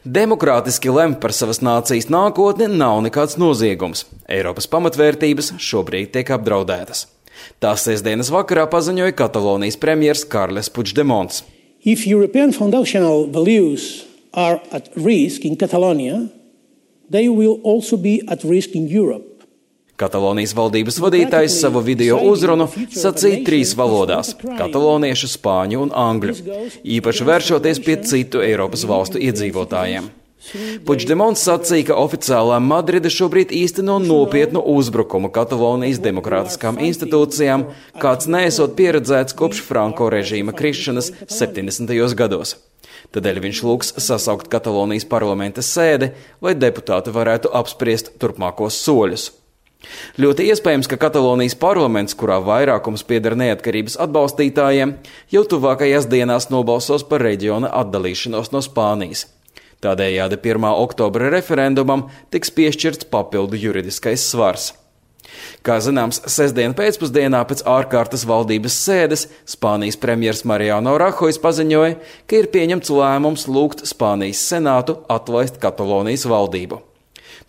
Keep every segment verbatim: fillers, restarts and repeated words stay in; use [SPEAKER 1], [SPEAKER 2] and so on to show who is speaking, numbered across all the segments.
[SPEAKER 1] Demokrātiski lemt par savas nācijas nākotni nav nekāds noziegums. Eiropas pamatvērtības šobrīd tiek apdraudētas. Tās sestdienas vakarā paziņoja Katalonijas premjers Carles Puigdemons.
[SPEAKER 2] If European foundational values are at risk in Catalonia, they will also be at risk in Europe.
[SPEAKER 1] Katalonijas valdības vadītājs savu video uzrunu sacīja trīs valodās – kataloniešu, spāņu un angļu, īpaši vēršoties pie citu Eiropas valstu iedzīvotājiem. Puigdemons sacīja, ka oficiālā Madride šobrīd īsteno nopietnu uzbrukumu Katalonijas demokrātiskām institūcijām, kāds neesot pieredzēts kopš Franko režīma krišanas septiņdesmitajos gados. Tādēļ viņš lūgs sasaukt Katalonijas parlamenta sēdi, lai deputāti varētu apspriest turpmākos soļus. Ļoti iespējams, ka Katalonijas parlaments, kurā vairākums pieder neatkarības atbalstītājiem, jau tuvākajās dienās nobalsos par reģiona atdalīšanos no Spānijas. Tādējādi pirmā oktobra referendumam tiks piešķirts papildu juridiskais svars. Kā zināms, sestdien pēcpusdienā pēc ārkārtas valdības sēdes Spānijas premjers Mariano Rajoy paziņoja, ka ir pieņemts lēmums lūgt Spānijas senātu atlaist Katalonijas valdību.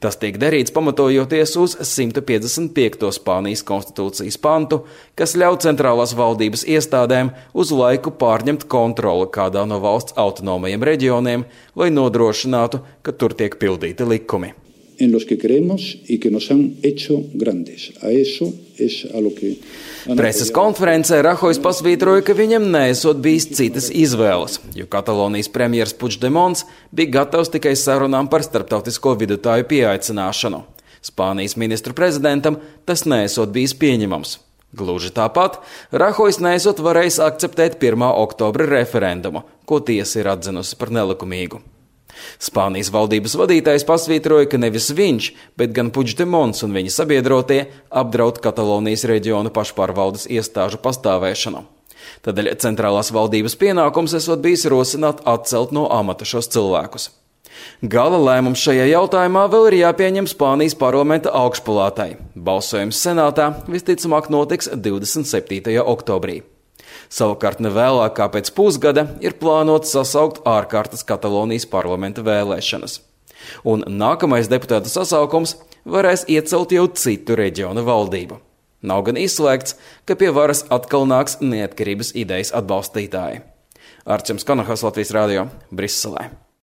[SPEAKER 1] Tas tiek darīts pamatojoties uz simt piecdesmit piekto Spānijas konstitūcijas pantu, kas ļauj centrālās valdības iestādēm uz laiku pārņemt kontroli kādā no valsts autonomajiem reģioniem, lai nodrošinātu, ka tur tiek pildīti likumi.
[SPEAKER 3] En los que creemos y que nos han hecho grandes. A eso es a lo que...
[SPEAKER 1] Preses konferencē Rajoy pasvītroja, ka viņam neesot bijis citas izvēles, jo Katalonijas premjers Puigdemons bija gatavs tikai sarunām par starptautisko vidutāju pieaicināšanu. Spānijas ministru prezidentam tas neesot bijis pieņemams. Gluži tāpat Rajoy neesot varējis akceptēt pirmā oktobra referendumu, ko tiesa ir atzinusi par nelikumīgu. Spānijas valdības vadītājs pasvītroja, ka nevis viņš, bet gan Puigdemons un viņa sabiedrotie apdraud Katalonijas reģionu pašpārvaldes iestāžu pastāvēšanu. Tādēļ centrālās valdības pienākums esot bijis rosināt atcelt no amata šos cilvēkus. Gala lēmums šajā jautājumā vēl ir jāpieņem Spānijas parlamenta augšpalātai. Balsojums senātā visticamāk notiks divdesmit septītajā oktobrī. Savukārt nevēlāk kā pēc pusgada ir plānots sasaukt ārkārtas Katalonijas parlamenta vēlēšanas. Un nākamais deputātu sasaukums varēs iecelt jau citu reģionu valdību. Nav gan izslēgts, ka pie varas atkal nāks neatkarības idejas atbalstītāji. Arčuns Kanahas, Latvijas radio, Briselē.